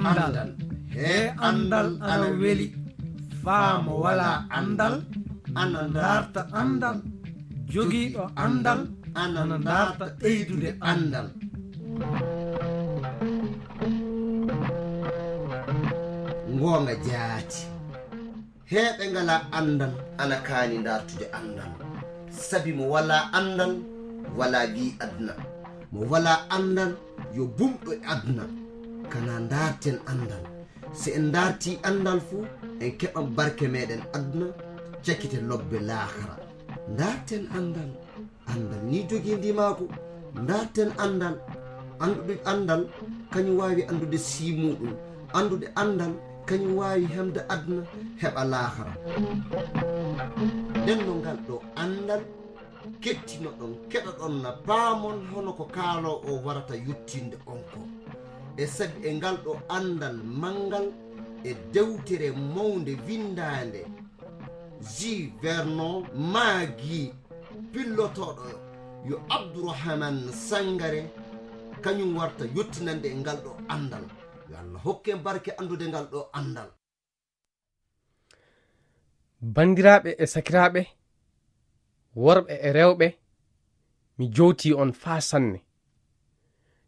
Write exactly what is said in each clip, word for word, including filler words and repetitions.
Anndal. He anndal ana weli. Faa mo walaa anndal ana ndaarta anndal. Jogiiɗo anndal ana ndaarta ɓeydude anndal. Ngoonga jaati. Heeɓe ngalaa anndal ana kaani ndaartude anndal. Sabi mo walaa anndal, walaa gii aduna. Mo walaa anndal, yo bumɗo e aduna. Kana ndaarten anndal. Si en ndaartii anndal fu, en keɓan barke meeɗen aduna, cakite lobbe laakara. Ndaarten anndal. Anndal ni jogii ndimaagu. Ndaarten anndal. Anndude anndal, kañum waawi anndude sii muuɗum. Anndude anndal, kañum waawi hemde aduna, heɓa laakara. Nden no ngal ɗo anndal, kettinoɗon, keɗoɗon na paamon hono ko kaaloowo o warata yottinde on ko. E sabi e ngal ɗo anndal manngal e dewtere mawnde winndaande, Ji Vernon Maggi, pillotooɗo yo Abdourahmane Sangare, kañum warta yottinande e ngal ɗo anndal. Yo Allah hokke en barke anndude ngal ɗo anndal. Banndiraaɓe e sakiraaɓe, worɓe e rewɓe, mi jowtii on faa sanne.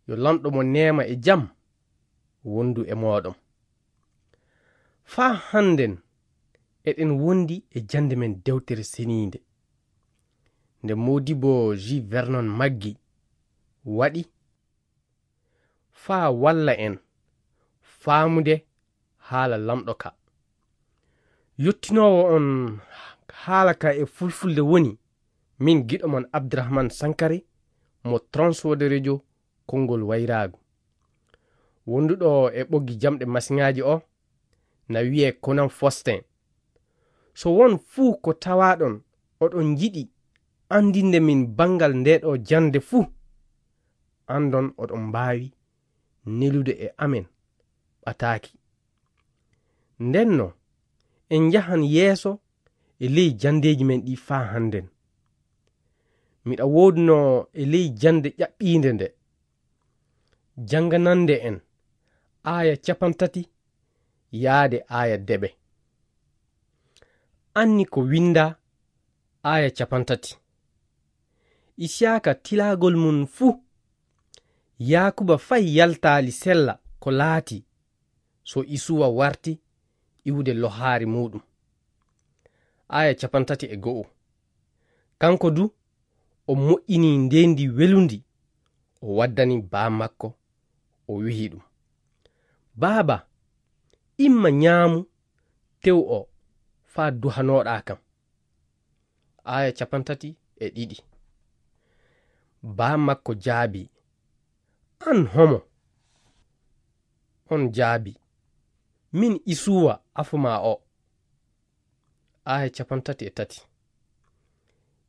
Yo Lanɗo mo neema e jam wondu e mooɗon. Faa hannden eɗen wondi e jannde men dewtere seniinde. Nde Moodibbo Ji Vernon Maggi waɗi faa walla en faamude haala Lanɗo ka. Yottinoowo on haala ka e fulfulde woni min giɗo mon Abdourahmane Sankare mo Transworld Radio konngol wayraagu. Wonduɗo e ɓoggi jamɗe masiŋaaji o na wiyee Konan Faustin. So won fuu ko tawaaɗon oɗon njiɗi anndinde min banngal ndee ɗo jannde fuu, anndon oɗon mbaawi nelude e amen ɓataaki. Ndenno, en njahan yeeso e ley janndeeji men ɗi faa hannden. Miɗa woodunoo e ley jannde ƴaɓɓiinde nde, jannganande en aaya capantati yaade aaya deɓe. Anni ko winndaa aaya capantati. Isiyaaka tilagol mum fuu, Yaakuba fay yaltaali sella ko laati so Isuwa warti iwde lohaari muuɗum. Aaya capantati e go'o. Kanko du, o moƴƴini ndeendi welundi, o waddani baa makko, o wi'i ɗum, "Baaba, imma ñaamu tew o faa duhanooɗaa kam." Aaya capantati e ɗiɗi. Baa makko jaabi, "An homo?" On jaabi, "Min Isuwa afo maa o." Aaya capantati e tati.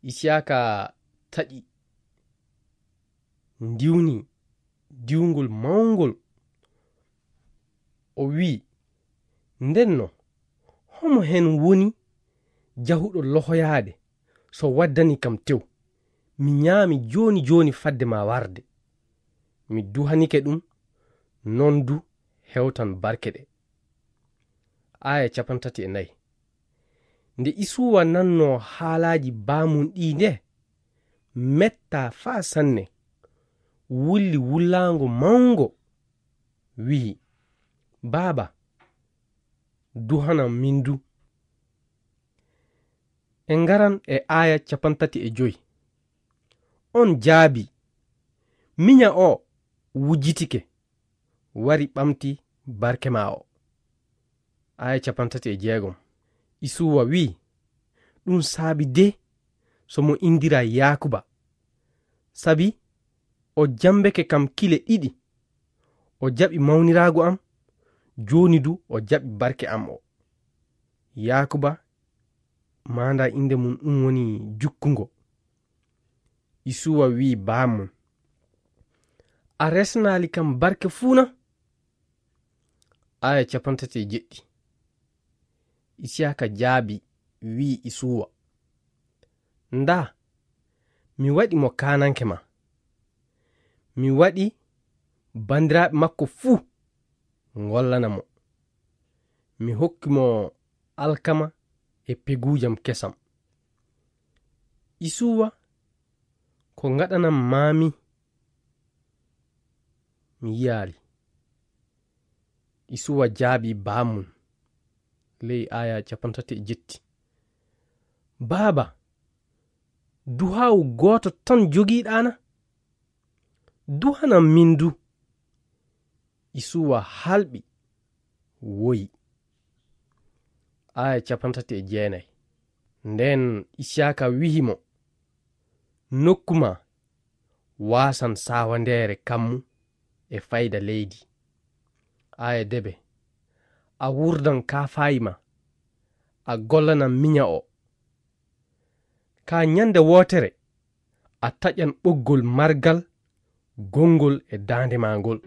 Isiyaaka taƴi, ndiwni diwngol mawngol. O wi'i, "Ndenno, homo hen woni jahuɗo lohoyaade so waddani kam tew? Mi ñaami jooni jooni fadde ma warde. Mi duhanike ɗum, non du hewtan barke ɗe." Aaya capantati e nayi. Nde Isuwa nannoo haalaaji baamum ɗii nde, mettaa faa sanne, wulli wullaango mawngo, wi'i, "Baaba, duhanam min du." En ngaran e aaya capantati e joy. On jaabi, "Miña o wujjitike, wari ɓamti barke maa o." Aaya capantati e jeegom. Isuwa wi'i, "Ɗum saabi de so mo inndiraa Yaakuba, sabi o jammbeke kam kile ɗiɗi. O jaɓi mawniraagu am, jooni du o jaɓi barke am o." Yaakuba, maandaa innde mum ɗum woni jukkungo. Isuwa wi'i baamum, "A resnaali kam barke fuu na?" Aaya capantati e jeɗɗi. Isiyaaka jaabi, wi'i Isuwa, "Ndaa, mi waɗi mo kaananke ma. Mi waɗi banndiraaɓe makko fuu ngollana mo. Mi hokki mo alkama e peguujam kesam. Isuwa, ko ngaɗanam maami? Mi yiyaali. Isuwa jaabi baamum ley aaya capantati e jetti. Baaba, duhaawu gooto tan jogiiɗaana? Duhanam min du. Isuwa halɓi, woyi. Aaya capantati e jeenay. Nden Isiyaka wi'i mo, nokku ma waasan saawandeere kammu e fayda leydi. Aaya debe, a wurdan kaafaayi ma, a gollanan minya o. Ka nyande wootere, a taƴan ɓoggol margal gongol e daande ma ngol.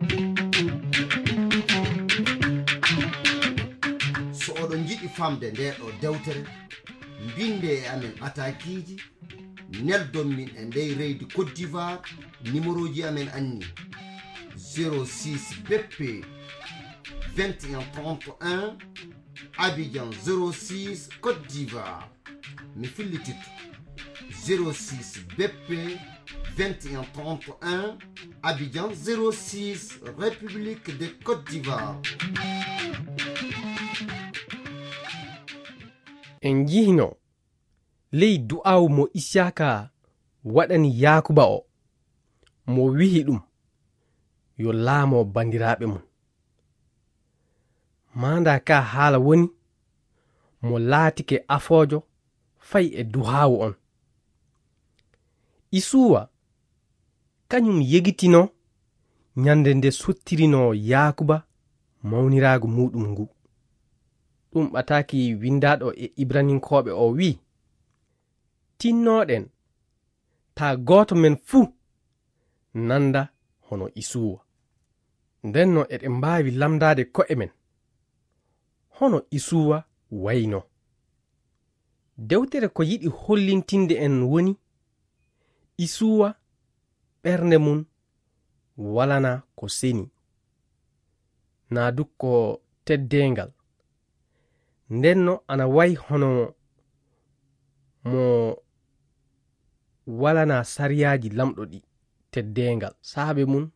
So oɗon njiɗi famde nde ɗo dewtere, mbinde e amen ɓatakiiji, neldon min e ndey reydi Côte d'Ivoire, numéroji amen anni: zéro six B P vingt et un trente et un, Abidjan zéro six, Côte d'Ivoire. Mi fillititto: zéro six B P vingt et un trente et un, Abidjan zéro six, République de Côte d'Ivoire. En njihno ley du'aawu mo Isiyaka waɗani Yaakuba o, mo wi'i ɗum yo laamo bandiraaɓe mum. Maanda ka haala woni, mo laatike afoojo fay e duhaawu on. Isuwa, kañum yegitino ñande nde sottirinoo Yaakuba mawniraagu muuɗum ngu. Ɗum ɓataaki winndaaɗo e Ibraninkooɓe o wi'i, tinnooɗen taa gooto men fuu nanda hono Isuwa. Ndenno eɗen mbaawi lamndaade ko'e men hono Isuwa wayno. Dewtere ko yiɗi hollintinde en woni Isuwa ɓernde mum walana ko seni. Naa du ko teddeengal. Ndenno ana wayi hono mo walana sariyaaji lamɗo ɗi teddeengal. Saabe mum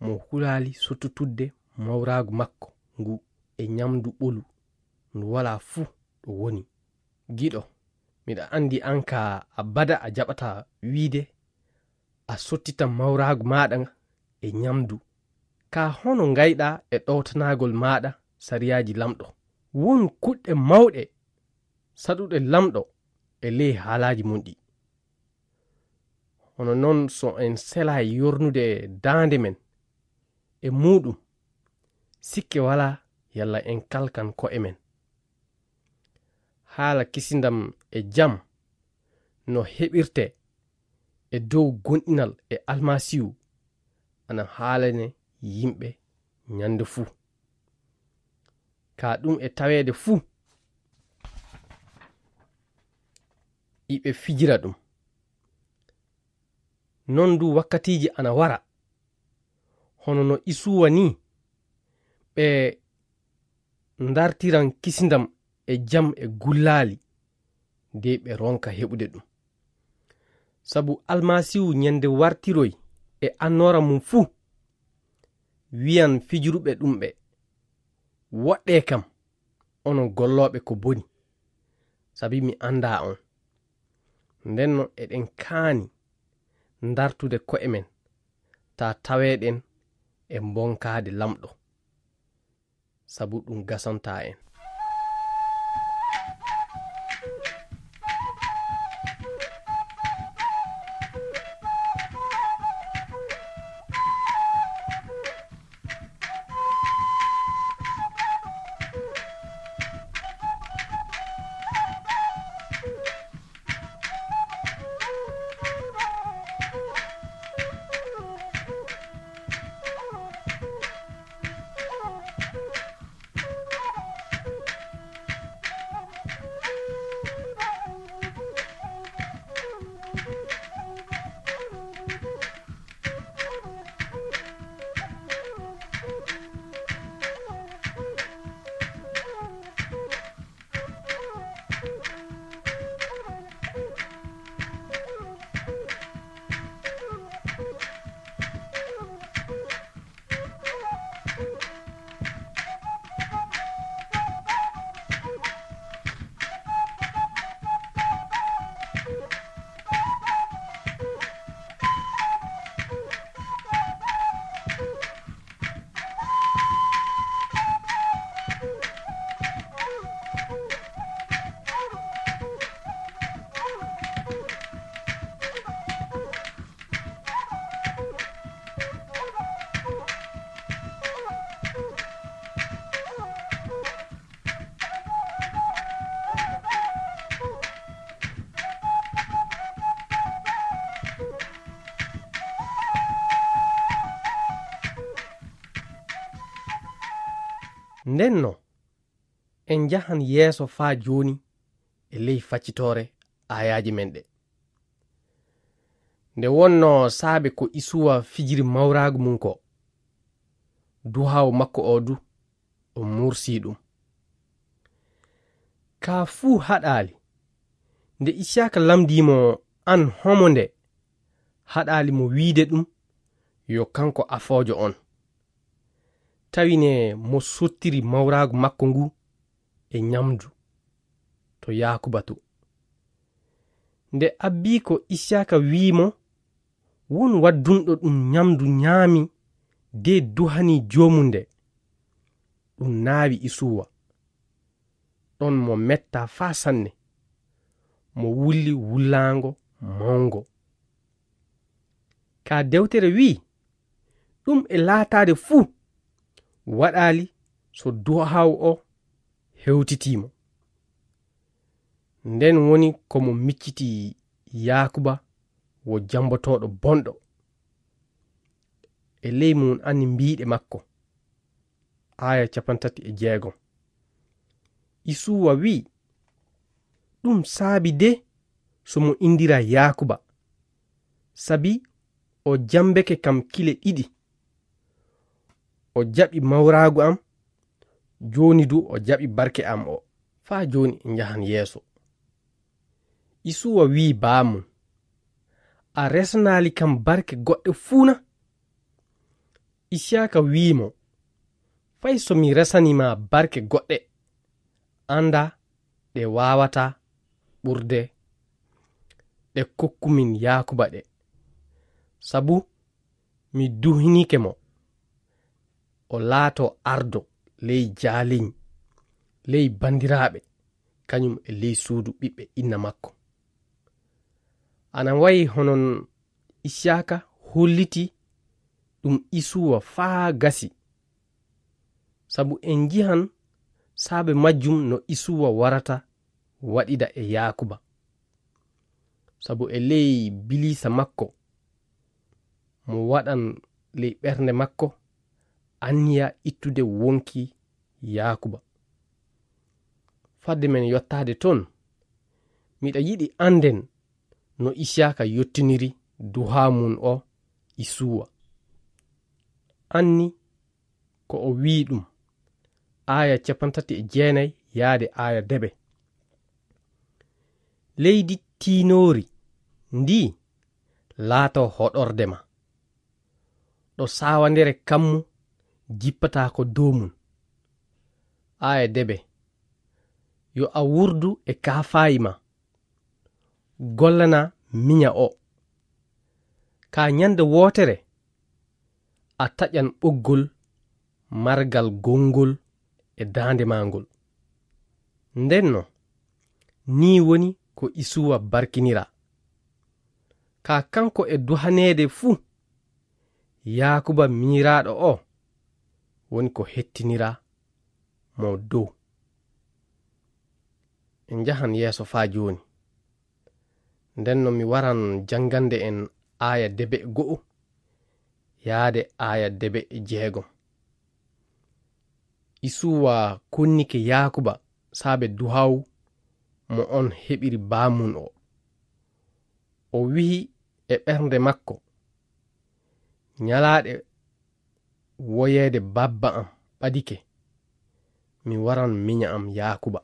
mo hulaali sottutudde mawraagu makko ngu e ñamdu ɓolu ndu walaa fuu ɗo woni. Giɗo, miɗa anndi an ka abada a jaɓata wiide a sottita mawraagu maaɗa e ñamdu. Ka hono ngayɗa e ɗowtanagol maaɗa sariyaaji lamɗo? Won kuɗɗe mawɗe saɗuɗe lamɗo e ley haalaaji mum ɗi. Hono non so en selay yornude daande men e muuɗum, sikke walaa yalla en kalkan ko'e men. Haala kisindam e jam no heɓirte e dow gonɗinal e Almasiihu ana haalane yimɓe ñande fuu. Ka ɗum e taweede fuu, iɓe fijira ɗum. Non du wakkatiiji ana wara, hono no Isuwa ni, ɓe ndartiran kisindam e jam e gullaali, de ɓe ronka heɓude ɗum. Sabu Almasiihu ñande wartiroy e annoora mum fuu, wi'an fijiruɓe ɗum ɓe, woɗɗee kam, onon gollooɓe ko boni, sabi mi anndaa on. Ndenno eɗen kaani ndartude ko'e men, taa taweeɗen e mbonkaade Lamɗo, sabu ɗum gasantaa en. Nden no, en njahan yeeso faa jooni e ley faccitoore aayaaje men ɗe. Nde wonnoo saabe ko Isuwa fijiri mawraagu mum ko, duhaawo makko oo du, o mursii ɗum. Kaa fuu haɗaali. Nde Isiyaaka lamndii mo, "Aan homo nde?" Haɗaali mo wiide ɗum, yo kanko afoojo on. Tawi ne mo sottiri mawraagu makko ngu e ñamdu to Yaakuba to. Nde abbii ko Isiyaaka wi'i mo, "Won waddunɗo ɗum ñamdu ñaami de duhanii joomum nde." Ɗum naawi Isuwa. Ɗon mo metta faa sanne. Mo wulli wullaango mawngo. Kaa dewtere wi'i, "Ɗum e laataade fuu waɗaali so duhaawo o hewtitii mo." Nden woni ko mo micciti Yaakuba wo jambotooɗo bonɗo. E ley mum anni mbiiɗe makko. Aaya cappanɗe tati e jeegom. Isuwa wi'i, "Ɗum saabi de so mo inndiraa Yaakuba, sabi o jambeke kam kile ɗiɗi. O jaɓi mawraagu am, jooni du o jaɓi barke am o." Faa jooni en njahan yeeso. Isuwa wi'i baamum, "A resanaali kam barke goɗɗe fuu na?" Isiyaaka wi'i mo, "Fay so mi resanii ma barke goɗɗe, anndaa ɗe waawataa ɓurde ɗe kokkumin Yaakuba ɗe. Sabu mi duhinike mo, o laatoo ardo ley jaaliñ, ley banndiraaɓe, kañum e ley suudu ɓiɓɓe inna makko." Ana wayi hono Isiyaaka holliti ɗum Isuwa faa gasi. Sabu en njihan saabe majjum no Isuwa warata waɗida e Yaakuba. Sabu e ley biliisa makko, mo waɗan ley ɓernde makko anniya ittude wonki Yaakuba. Fadde men yottaade ton, miɗa yiɗi annden no Isiyaaka yottiniri duhaa mum o Isuwa. Anni ko o wi'i ɗum, aaya cappanɗe tati e jeenay yaade aaya debe. Leydi tiinoori ndii laatoo hoɗorde ma, ɗo saawandere kammu jippataako dow mum. Aaya debe, yo a wurdu e kaafaayi ma, gollana miña o. Ka ñande wootere, a taƴan ɓoggol margal gonngol e daande maa ngol. Ndenno, nii woni ko Isuwa barkiniraa. Ka kanko e duhaneede fuu, Yaakuba miñiraaɗo o woni ko hettiniraa mo dow. En njahan yeeso faa jooni. Ndenno mi waran janngande en aaya debe go'o yaade aaya debe jeegom. Isuwa konnike Yaakuba saabe duhaw mo on heɓiri baamun o. O wi'i e ɓernde makko, "Ñalaaɗe woyeede babba am ɓadike, mi waran miña am Yaakuba."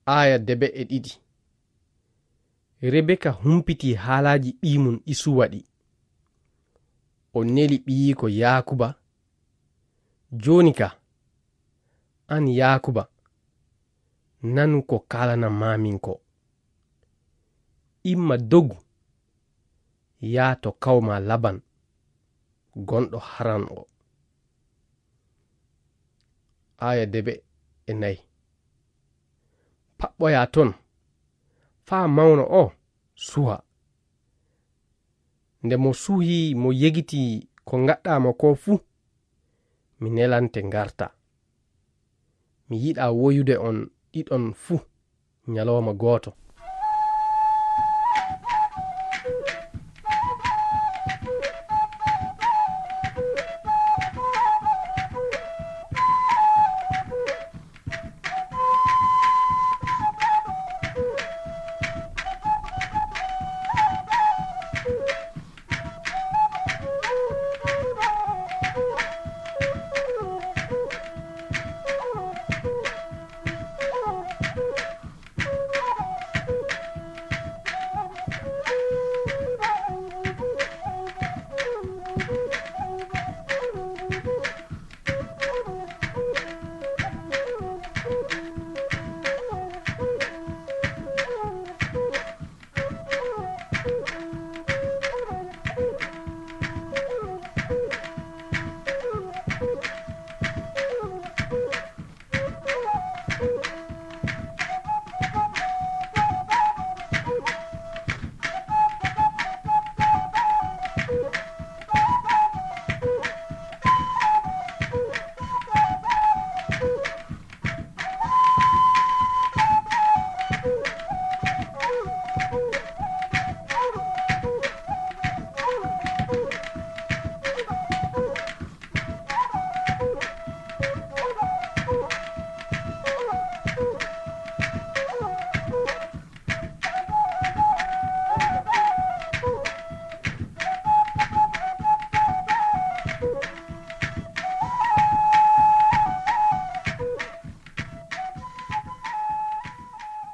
Aaya debe e ɗiɗi. Rebeka humpitii haalaaji ɓiy mum Isuwa ɗi. O neli ɓiyiiko Yaakuba. Jooni ka, an Yaakuba, nanu ko kaalanamaamin ko. Imma dogu, yaa to kawma Laban, gonɗo Haran o. Aaya debe e nayi. Paɓɓoyaa ton, faa mawno o suha. Nde mo suhii, mo yegiti ko ngaɗɗaa mo ko fuu, mi nelante ngarta. Mi yiɗaa woyude on ɗiɗon fuu ñalooma gooto.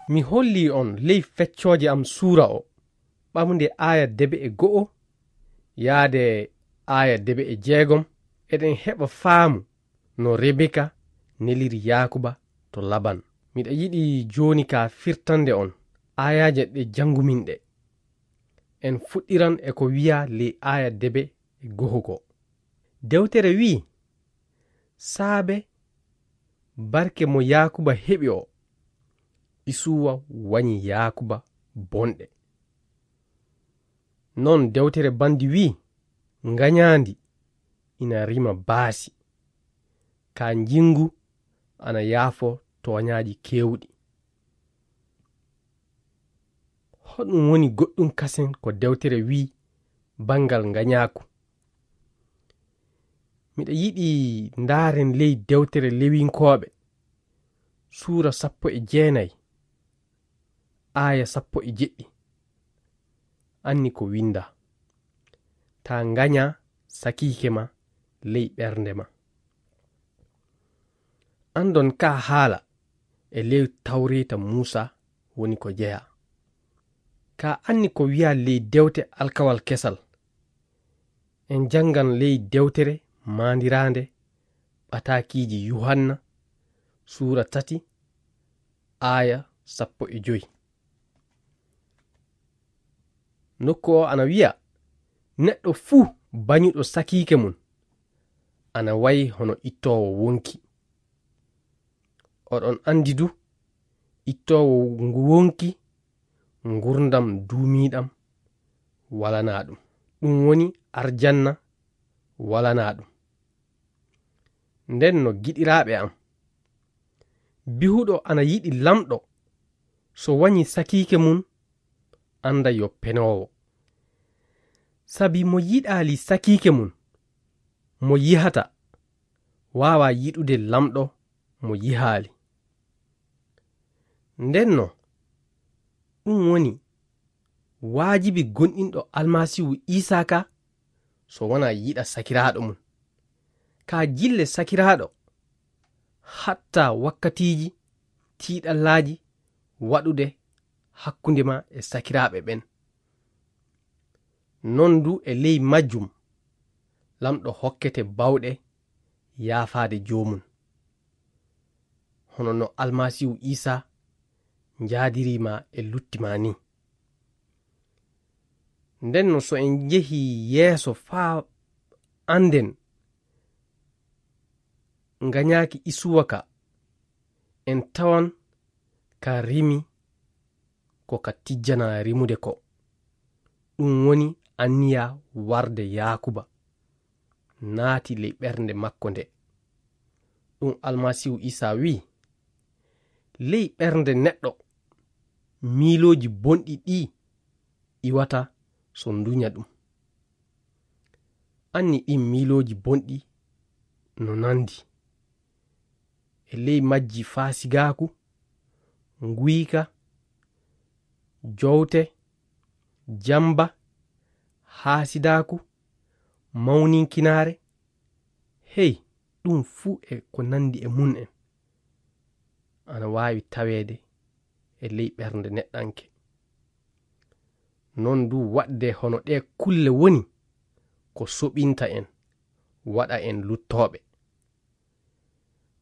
Mi holli on ley feccooje am suura o, ɓamde aaya debe e go'o yaade aaya debe e jeegom, eɗen heɓa faamu no Rebeka neliri Yaakuba to Laban. Miɗa yiɗi jooni ka firtande on aayaaje ɗe janngumin ɗe. En fuɗɗiran e ko wi'a ley aaya debe e go'o ko. Dewtere wi'i, saabe barke mo Yaakuba heɓi o, Isuwa wañi Yaakuba bonɗe. Non dewtere bandi wi'i, ngañaandi ina rima baasi, ka njinngu ana yaafo tooñaaji keewɗi. Hoɗum woni goɗɗum kasen ko dewtere wi'i banngal ngañaaku? Miɗa yiɗi ndaaren ley dewtere Lewinkooɓe, suura sappo e jeenay, aaya sappo e jeɗɗi. Anni ko winnda, taa ngaña sakiike ma ley ɓernde ma. Anndon ka haala e ley Tawreeta Muusa woni ko jeyaa. Ka anni ko wi'a ley dewte Alkawal Kesal. En janngan ley dewtere maandiraande ɓataakiiji Yuhanna, suura tati, aaya sappo e joy. Nokku o ana wi'a, neɗɗo fuu bañuɗo sakiike mum ana wayi hono ittoowo wonki. Oɗon anndi du, ittoowo ngu wonki, ngurndan duumiiɗan walanaa ɗum. Ɗum woni arjanna walanaa ɗum. Nden no giɗiraaɓe am, bihuɗo ana yiɗi Lamɗo, so wañi sakiike mum, annda yo penoowo. Sabi mo yiɗaali sakiike mum, mo yihata, waawaa yiɗude Lamɗo mo yihaali. Ndenno, ɗum woni waajibi gomɗinɗo Almasiihu Iisaa ka, so wanaa yiɗa sakiraaɗo mum. Ka jille sakiraaɗo, hatta wakkatiiji tiiɗallaaji waɗude hakkunde ma e sakiraaɓe ɓen. Non du e ley majjum, Lamɗo hokkete bawɗe yaafaade joomum, hono no Almasiihu Iisaa njaadirii ma e lutti ma ni. Ndenno, so en njehii yeeso faa annden ngañaaki Isuwa ka, en tawan ka rimi ko ka tijjanaa rimude ko. Ɗum woni anniya warde Yaakuba naati ley ɓernde makko nde. Ɗum Almasiihu Iisaa wi'i, ley ɓernde neɗɗo, miilooji bonɗi ɗi iwata so nduña ɗum. Anni ɗin miilooji bonɗi no nandi. E ley majji faasigaaku, nguyka, jowte, jamba, haasidaaku, mawninkinaare, hey, ɗum fuu e ko nandi e mum en, ana waawi taweede e ley ɓernde neɗɗanke. Non du waɗde hono ɗee kulle woni ko soɓinta en, waɗa en luttooɓe.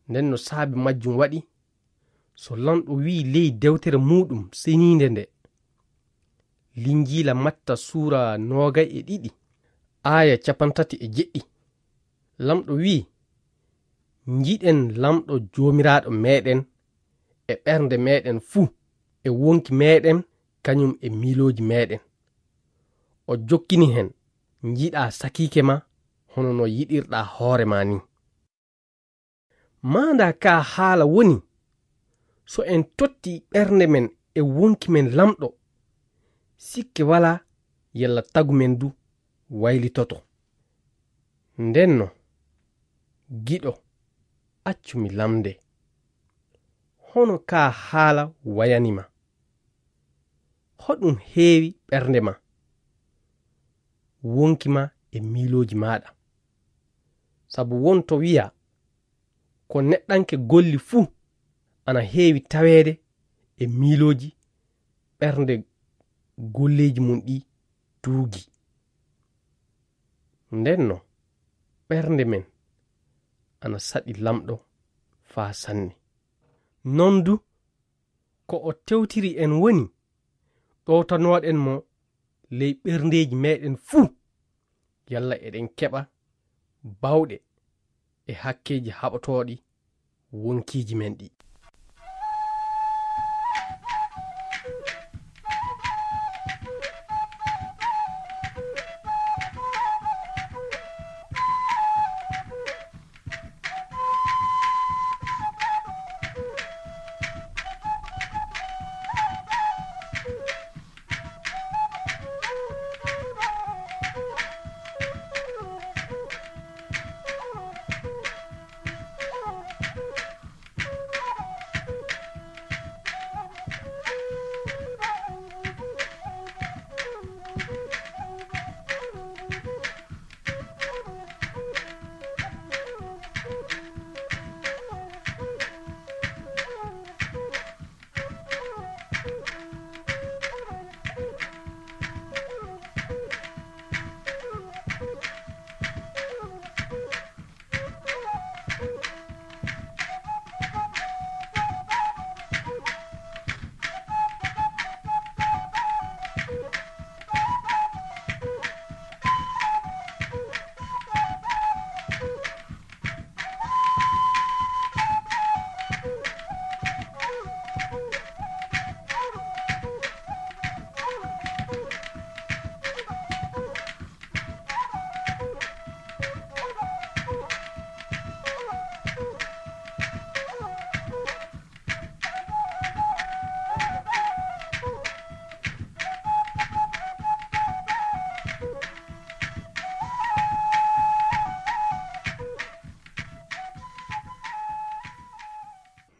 Nden no saabe majjum waɗi, so Lanɗo wi'i ley dewtere muuɗum seniinde nde, Linjiila Matta suura noogay e ɗiɗi, aaya capantati e jeɗɗi, Lanɗo wi'i, njiɗen Lanɗo Joomiraaɗo meeɗen e ɓernde meeɗen fuu, e wonki meeɗen, kañum e miilooji meeɗen. O jokkini hen, njiɗaa sakiike ma hono no yiɗirɗaa hoore ma ni. Maandaa ka haala woni, so en totti ɓernde men e wonki men Lanɗo, sikke walaa yalla tagu men du waylitoto. Ndenno, giɗo, accu mi lamnde. Hono ka haala wayani ma? Hoɗum heewi ɓernde ma, wonki ma e miilooji maaɗa? Sabu won to wi'a, ko neɗɗanke golli fuu ana heewi taweede e miilooji ɓernde golleeji mum ɗi tuugi. Nden no ɓernde men ana saɗi Lamɗo faa sanne. Non du, ko o tewtiri en woni ɗowtanoɗen mo ley ɓerndeeji meeɗen fuu, yalla eɗen keɓa baawɗe e hakkeeji haɓotooɗi wonkiiji men ɗi.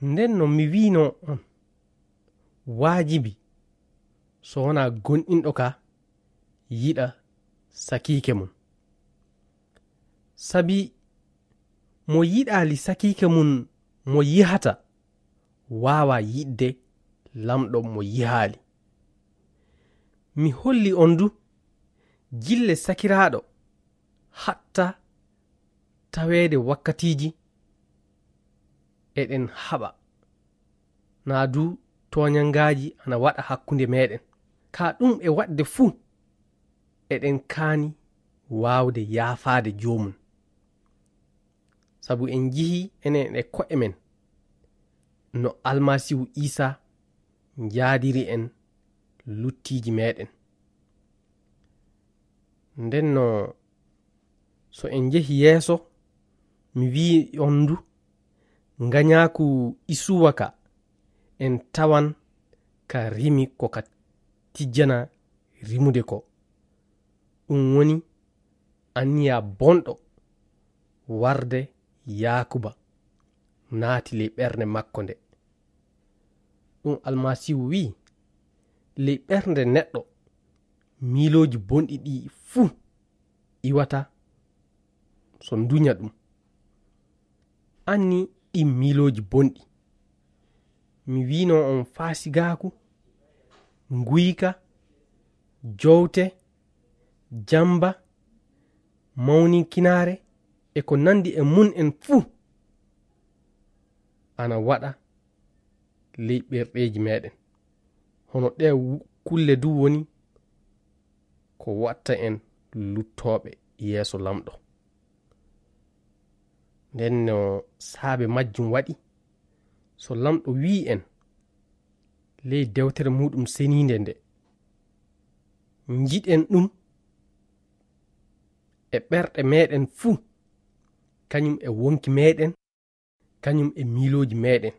Nden no mi wiino on, waajibi so wonaa gomɗinɗo ka yiɗa sakiike mum. Sabi mo yiɗaali sakiike mum mo yihata, waawaa yiɗde Lamɗo mo yihaali. Mi holli on du, gille sakiraaɗo hatta taweede wakkatiiji eɗen haɓa, naa du tooñangaaji ana waɗa hakkunde meeɗen. Ka ɗum e waɗde fuu, eɗen kaani waawde yaafaade joomum. Sabu en njihii enen e ko'e men no Almasiihu Iisaa njaadiri en luttiiji meeɗen. Nden no, so en njehi yeeso, mi wi'i on du, ngañaaku Isuwa ka, en tawan ka rimi ko ka tijjana rimude ko. Ɗum woni anniya bonɗo warde Yaakuba naati ley ɓernde makko nde. Ɗum Almasiihu wi'i, ley ɓernde neɗɗo, miilooji bonɗi ɗi fuu iwata so nduña ɗum. Anni ɗin miilooji bonɗi. Mi wiino on faasigaaku, nguyka, jowte, jamba, mawninkinaare, e ko nandi e mun en fuu ana waɗa ley ɓerɗeeji meeɗen. Hono ɗee wu-, kulle du woni ko watta en luttooɓe yeeso Lamɗo. Nden no saabe majjum waɗi, so Lamɗo wi'i en ley dewtere muuɗum seniinde nde, njiɗen ɗum e ɓerɗe meeɗen fuu, kañum e wonki meeɗen, kañum e miilooji meeɗen.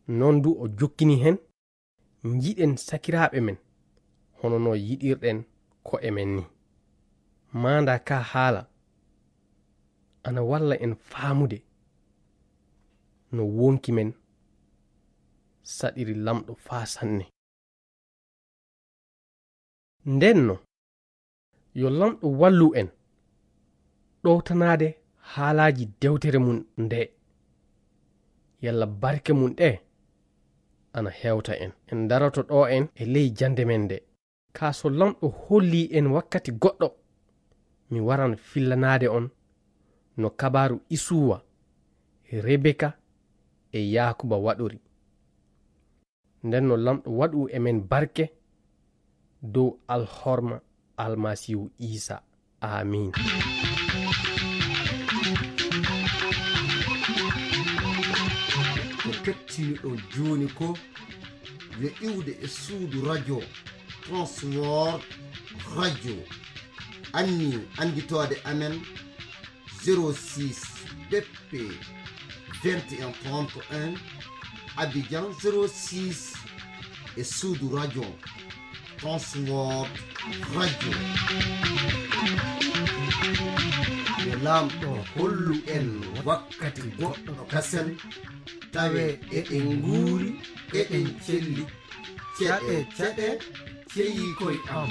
Non du o jokkini hen, njiɗen sakiraaɓe men hono no yiɗirɗen ko'e men ni. Maanda ka haala ana walla en faamude no wonki men saɗiri Lamɗo faa sanne. Nden no, yo Lamɗo wallu en ɗowtanaade haalaaji dewtere mum nde, yalla barke mum ɗe ana hewta en. En daroto ɗo en e ley jannde men nde. Kaa so Laamɗo hollii en wakkati goɗɗo, mi waran fillanaade on no kabaaru Isuwa, Rebeka e Yaakuba waɗori. Nden no Laamɗo waɗu e men barke dow alhorma Almasiihu Iisa. Aamiin. Ko kettiniɗon jooni ko yo iwde e suudu radio Transworld Radio. Anni annditoode amen zéro six B P vingt et un trente et un, Abidjan zéro six, e suudu radio Transworld Radio. Yo Laamɗo hollu en wakkati goɗɗo kasen, tawe eɗen nguuri, eɗen celli. Ceɗe, ceɗe, ceyii koy am.